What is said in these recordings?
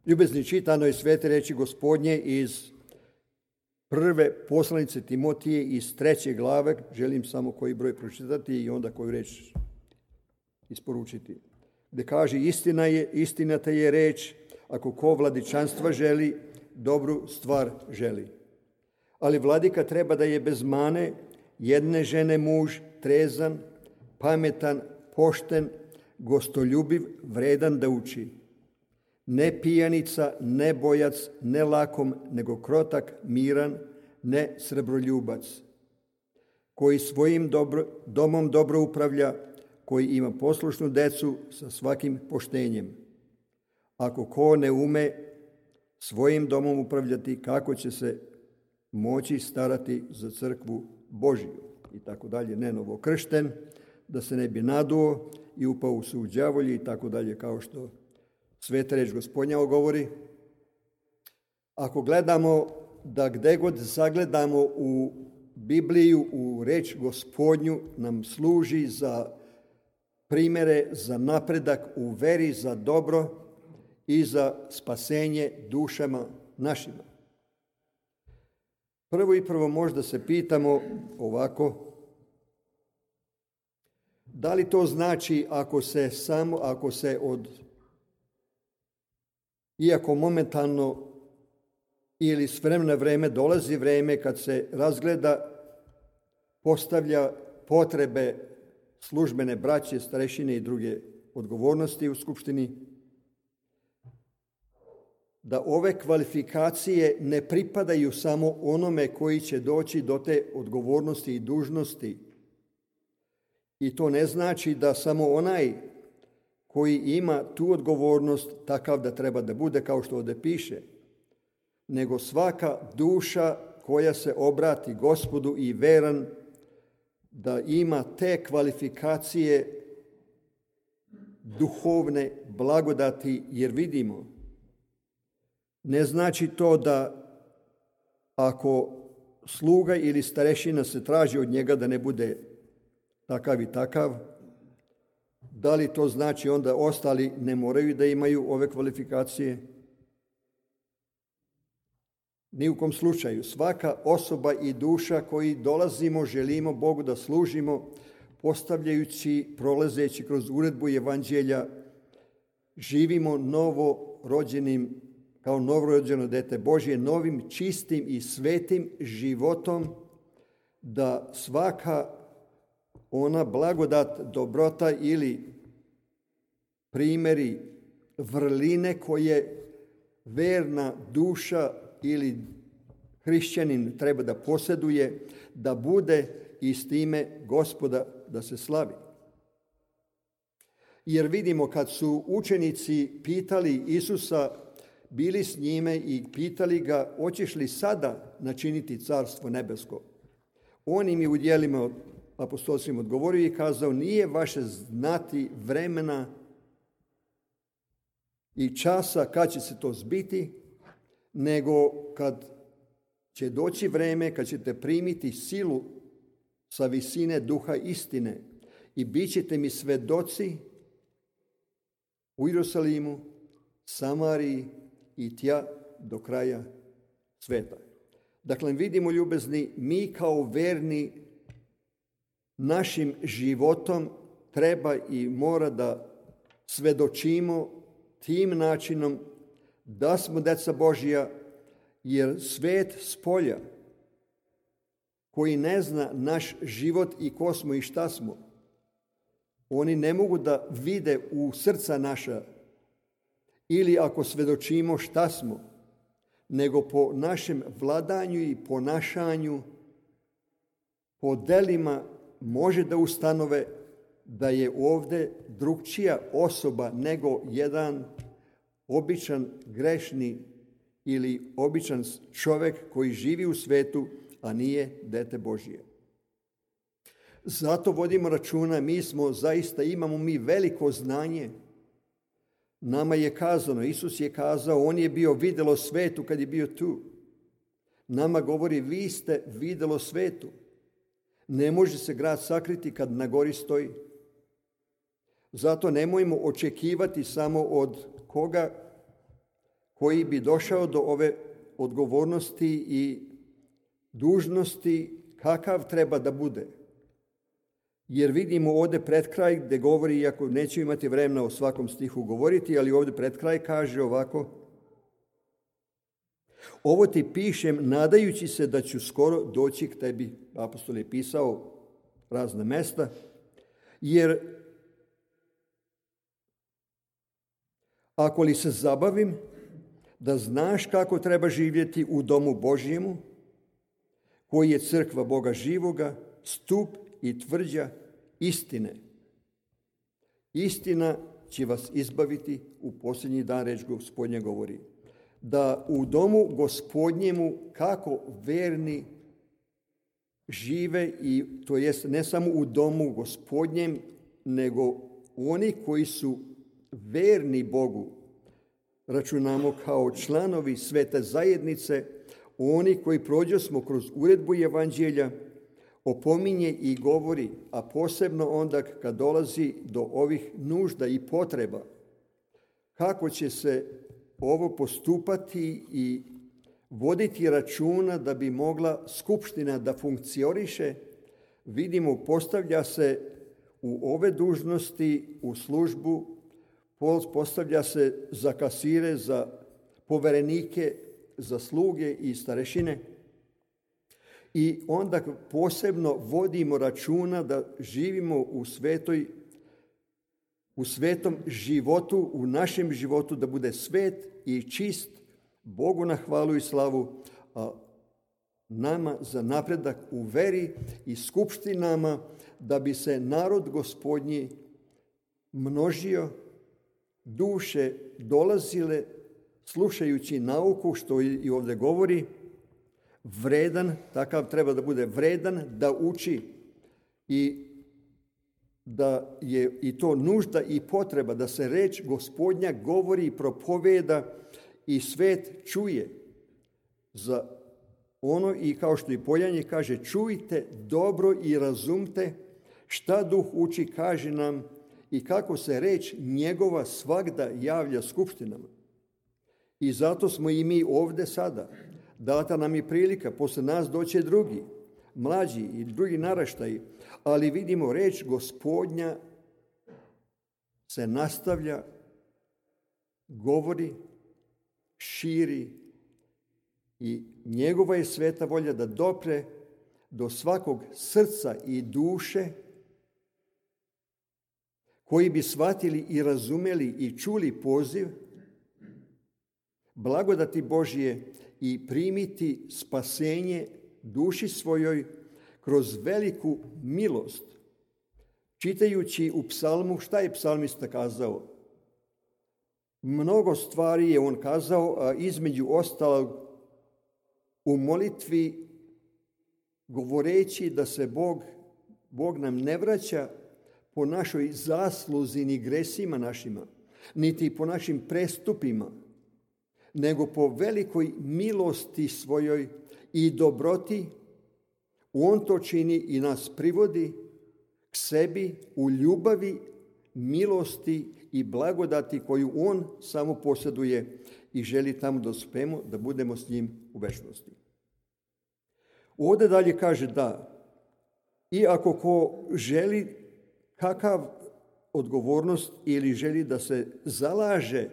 Ljubezni, čitano je svete reči Gospodnje iz prve poslanice Timotije iz 3. glave. Želim samo koji broj pročitati i onda koju reč isporučiti. Gde kaže: istinata je reč, ako ko vladičanstva želi, dobru stvar želi. Ali vladika treba da je bez mane, jedne žene muž, trezan, pametan, pošten, gostoljubiv, vredan da uči. Ne pijanica, ne bojac, ne lakom, nego krotak, miran, ne srebroljubac, koji svojim domom dobro upravlja, koji ima poslušnu decu sa svakim poštenjem. Ako ko ne ume svojim domom upravljati, kako će se moći starati za crkvu Božiju? I tako dalje. Ne novokršten, da se ne bi naduo i upao u sud đavolji i tako dalje, kao što sveta reč Gospodnja govori. Ako gledamo da gde god zagledamo u Bibliju, u reč Gospodnju, nam služi za primere, za napredak u veri, za dobro i za spasenje dušama našima. Prvo možda se pitamo ovako: da li to znači ako se iako momentalno ili s vremena na vreme dolazi vreme kad se razgleda, postavlja potrebe službene braće, starešine i druge odgovornosti u skupštini, da ove kvalifikacije ne pripadaju samo onome koji će doći do te odgovornosti i dužnosti. I to ne znači da samo onaj koji ima tu odgovornost takav da treba da bude, kao što ovdje piše, nego svaka duša koja se obrati Gospodu i veran da ima te kvalifikacije duhovne blagodati, jer vidimo, ne znači to da ako sluga ili starešina se traži od njega da ne bude takav i takav, da li to znači onda ostali ne moraju da imaju ove kvalifikacije? Ni u kom slučaju. Svaka osoba i duša koji dolazimo, želimo Bogu da služimo, postavljajući, prolazeći kroz uredbu evanđelja, živimo novorođenim, kao novorođeno dete Božje, novim, čistim i svetim životom, da svaka ona blagodat, dobrota ili primjeri, vrline koje verna duša ili hrišćanin treba da posjeduje, da bude i s time Gospoda da se slavi. Jer vidimo kad su učenici pitali Isusa, bili s njime i pitali ga: hoćeš li sada načiniti carstvo nebesko? On im je u djelima apostolskim odgovorio i kazao: nije vaše znati vremena i časa kad će se to zbiti, nego kad će doći vreme kad ćete primiti silu sa visine duha istine i bit ćete mi svedoci u Jerusalimu, Samariji i tja do kraja sveta. Dakle, vidimo, ljubezni, mi kao verni našim životom treba i mora da svedočimo tim načinom da smo deca Božja, jer svet spolja koji ne zna naš život i ko smo i šta smo, oni ne mogu da vide u srca naša ili ako svedočimo šta smo, nego po našem vladanju i ponašanju, po delima može da ustanove da je ovdje drugčija osoba nego jedan običan grešni ili običan čovjek koji živi u svetu, a nije dete Božije. Zato vodimo računa, imamo mi veliko znanje. Nama je kazano, Isus je kazao, on je bio videlo svetu kad je bio tu. Nama govori, vi ste videlo svetu. Ne može se grad sakriti kad na gori stoji. Zato nemojmo očekivati samo od koga koji bi došao do ove odgovornosti i dužnosti kakav treba da bude. Jer vidimo ovdje pred kraj gdje govori, iako neću imati vremena o svakom stihu govoriti, ali ovdje pred kraj kaže ovako: ovo ti pišem nadajući se da ću skoro doći k tebi. Apostol je pisao razna mesta, jer ako li se zabavim da znaš kako treba živjeti u domu Božjemu, koji je crkva Boga živoga, stup i tvrđa istine. Istina će vas izbaviti u posljednji dan, reč Gospodnja govori. Da u domu Gospodnjemu kako verni žive, i to jest ne samo u domu Gospodnjem, nego oni koji su verni Bogu, računamo kao članovi svete zajednice, oni koji prođosmo kroz uredbu evanđelja, opominje i govori, a posebno onda kad dolazi do ovih nužda i potreba, kako će se ovo postupati i voditi računa da bi mogla skupština da funkcioniše. Vidimo, postavlja se u ove dužnosti, u službu, postavlja se za kasire, za poverenike, za sluge i starešine. I onda posebno vodimo računa da živimo u svetom životu, u našem životu da bude svet i čist, Bogu na hvalu i slavu, a nama za napredak u veri i skupštinama, da bi se narod Gospodnji množio, duše dolazile slušajući nauku, što i ovdje govori, vredan, takav treba da bude vredan, da uči, i da je i to nužda i potreba da se reč Gospodnja govori i propoveda i svet čuje. Za ono, i kao što i Poljanje kaže, čujte dobro i razumte šta Duh uči, kaže nam, i kako se reč njegova svagda javlja skupštinama. I zato smo i mi ovdje sada. Data nam je prilika, posle nas doće drugi, mlađi i drugi naraštaji, ali vidimo, reč Gospodnja se nastavlja, govori, širi, i njegova je sveta volja da dopre do svakog srca i duše, koji bi shvatili i razumeli i čuli poziv blagodati Božje i primiti spasenje duši svojoj kroz veliku milost. Čitajući u psalmu, šta je psalmista kazao? Mnogo stvari je on kazao, a između ostalog u molitvi govoreći da se Bog nam ne vraća po našoj zasluzi ni gresima našima, niti po našim prestupima, nego po velikoj milosti svojoj i dobroti. On to čini i nas privodi k sebi u ljubavi, milosti i blagodati koju on samo posjeduje i želi tamo da uspemo, da budemo s njim u večnosti. Ovdje dalje kaže da, i ako ko želi kakav odgovornost ili želi da se zalaže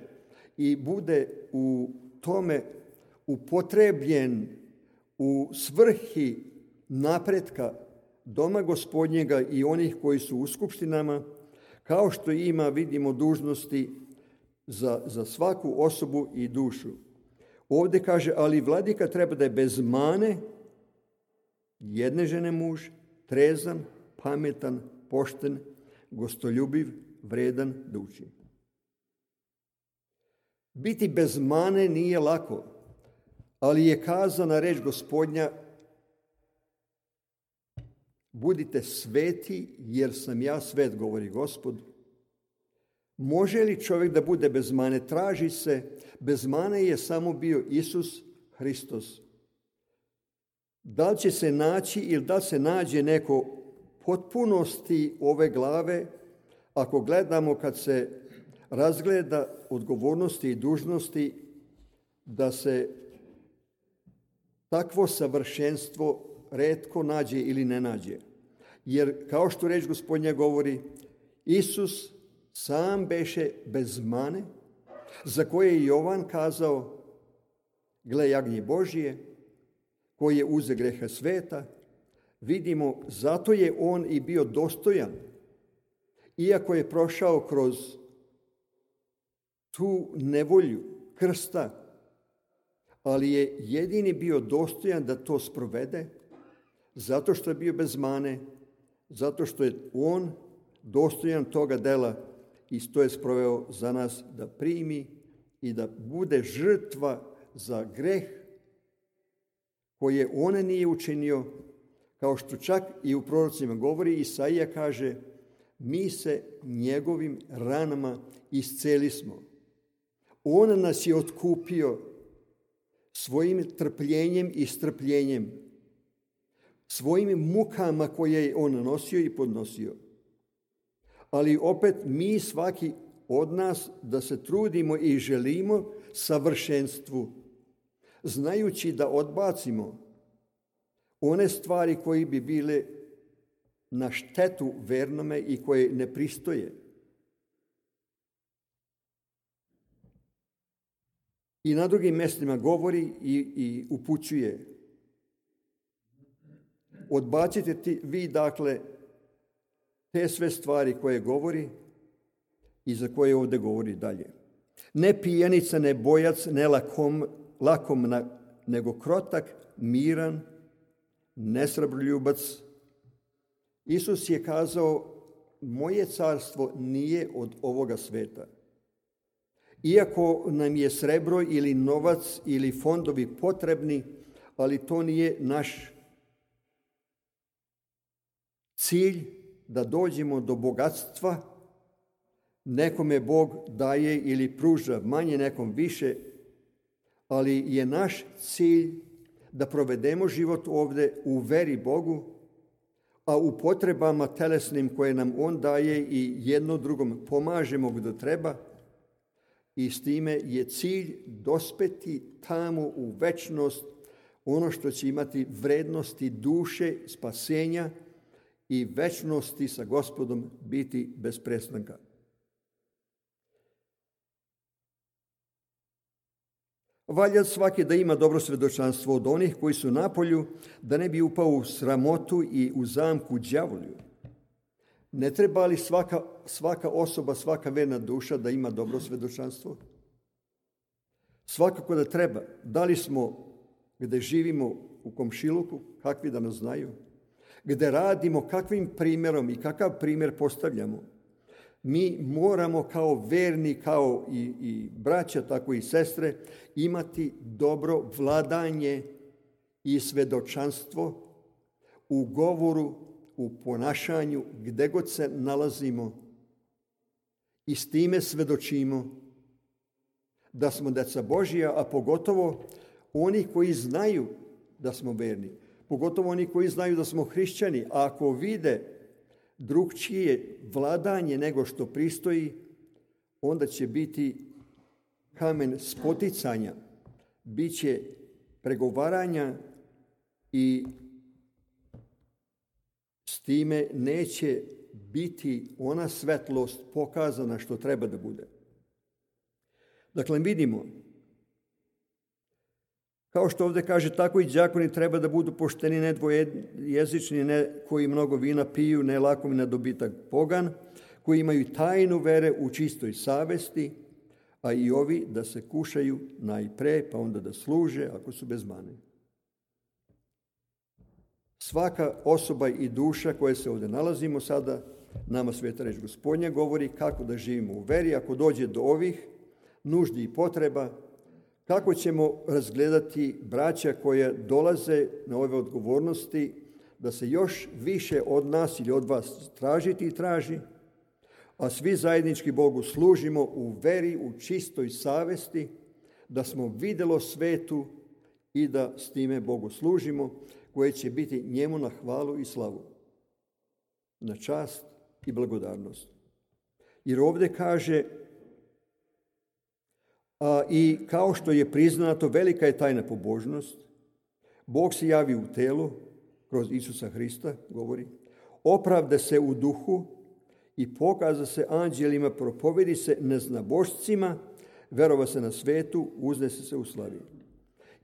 i bude u tome upotrebljen u svrhi napretka doma Gospodnjega i onih koji su u skupštinama, kao što ima, vidimo, dužnosti za svaku osobu i dušu. Ovdje kaže, ali vladika treba da je bez mane, jedne žene muž, trezan, pametan, pošten, gostoljubiv, vredan da uči. Biti bez mane nije lako, ali je kazana reč Gospodnja: budite sveti jer sam ja svet, govori Gospod. Može li čovjek da bude bez mane? Traži se. Bez mane je samo bio Isus Hristos. Da li će se naći ili da se nađe neko potpunosti ove glave, ako gledamo kad se razgleda odgovornosti i dužnosti da se takvo savršenstvo retko nađe ili ne nađe. Jer, kao što reč Gospodnja govori, Isus sam beše bez mane, za koje je Jovan kazao, gle jagnje Božije, koji je uze greha sveta. Vidimo, zato je on i bio dostojan, iako je prošao kroz tu nevolju krsta, ali je jedini bio dostojan da to sprovede, zato što je bio bez mane, zato što je on dostojan toga dela i to je sproveo za nas da primi i da bude žrtva za greh koje on nije učinio, kao što čak i u prorocima govori. Isaija kaže, mi se njegovim ranama iscelismo. On nas je otkupio svojim trpljenjem i strpljenjem, svojim mukama koje je on nosio i podnosio. Ali opet mi, svaki od nas, da se trudimo i želimo savršenstvu, znajući da odbacimo one stvari koje bi bile na štetu vernome i koje ne pristoje. I na drugim mjestima govori i upućuje. Odbacite vi, dakle, te sve stvari koje govori i za koje ovdje govori dalje. Ne pijenica, ne bojac, ne lakom, nego krotak, miran, nesrebroljubac. Isus je kazao, moje carstvo nije od ovoga sveta. Iako nam je srebro ili novac ili fondovi potrebni, ali to nije naš cilj da dođemo do bogatstva. Nekome Bog daje ili pruža manje, nekom više, ali je naš cilj da provedemo život ovdje u veri Bogu, a u potrebama telesnim koje nam on daje i jedno drugom pomažemo gdje treba. I s time je cilj dospeti tamo u večnost, ono što će imati vrednosti duše, spasenja i večnosti sa Gospodom biti bez prestanka. Valja svaki da ima dobro svjedočanstvo od onih koji su napolju, da ne bi upao u sramotu i u zamku đavolju. Ne treba li svaka osoba, svaka verna duša da ima dobro svjedočanstvo? Svakako da treba. Da li smo gdje živimo u komšiluku, kakvi da nas znaju? Gdje radimo, kakvim primjerom i kakav primjer postavljamo? Mi moramo kao verni, kao i braća, tako i sestre, imati dobro vladanje i svjedočanstvo u govoru, u ponašanju, gdje god se nalazimo, i s time svjedočimo da smo djeca Božija, a pogotovo oni koji znaju da smo verni, pogotovo oni koji znaju da smo hrišćani, a ako vide drugčije vladanje nego što pristoji, onda će biti kamen spoticanja, bit će pregovaranja i s time neće biti ona svetlost pokazana što treba da bude. Dakle, vidimo, kao što ovdje kaže, tako i đakoni treba da budu pošteni, ne dvojezični, ne koji mnogo vina piju, ne lakomi na dobitak pogan, koji imaju tajnu vere u čistoj savesti, a i ovi da se kušaju najpre, pa onda da služe ako su bez mane. Svaka osoba i duša koje se ovdje nalazimo sada, nama sveta reč Gospodnja govori kako da živimo u veri. Ako dođe do ovih nuždi i potreba, kako ćemo razgledati braća koje dolaze na ove odgovornosti, da se još više od nas ili od vas tražiti i traži, a svi zajednički Bogu služimo u veri, u čistoj savesti, da smo vidjelo svetu i da s time Bogu služimo, koje će biti njemu na hvalu i slavu, na čast i blagodarnost. Jer ovdje kaže, I kao što je priznato, velika je tajna pobožnost. Bog se javi u telu, kroz Isusa Hrista, govori, opravda se u duhu i pokaza se anđelima, propovedi se neznabošcima, verova se na svetu, uznese se u slavi.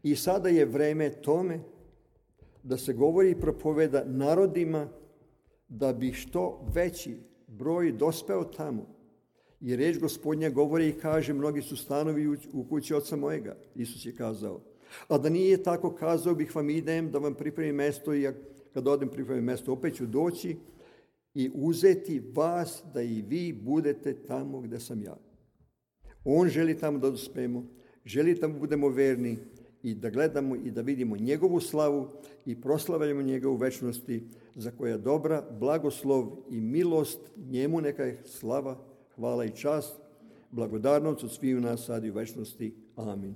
I sada je vreme tome da se govori i propoveda narodima, da bi što veći broj dospeo tamo. I reč Gospodnja govori i kaže, mnogi su stanovi u kući oca mojega, Isus je kazao. A da nije tako, kazao bih vam, idem da vam pripremim mesto, i kad odem pripremim mesto, opet ću doći i uzeti vas da i vi budete tamo gdje sam ja. On želi tamo da dospemo, želi da budemo verni i da gledamo i da vidimo njegovu slavu i proslavljamo njegovu večnosti, za koja dobra blagoslov i milost njemu neka je slava, hvala i čast, blagodarnost od svih nas sad i u večnosti. Amin.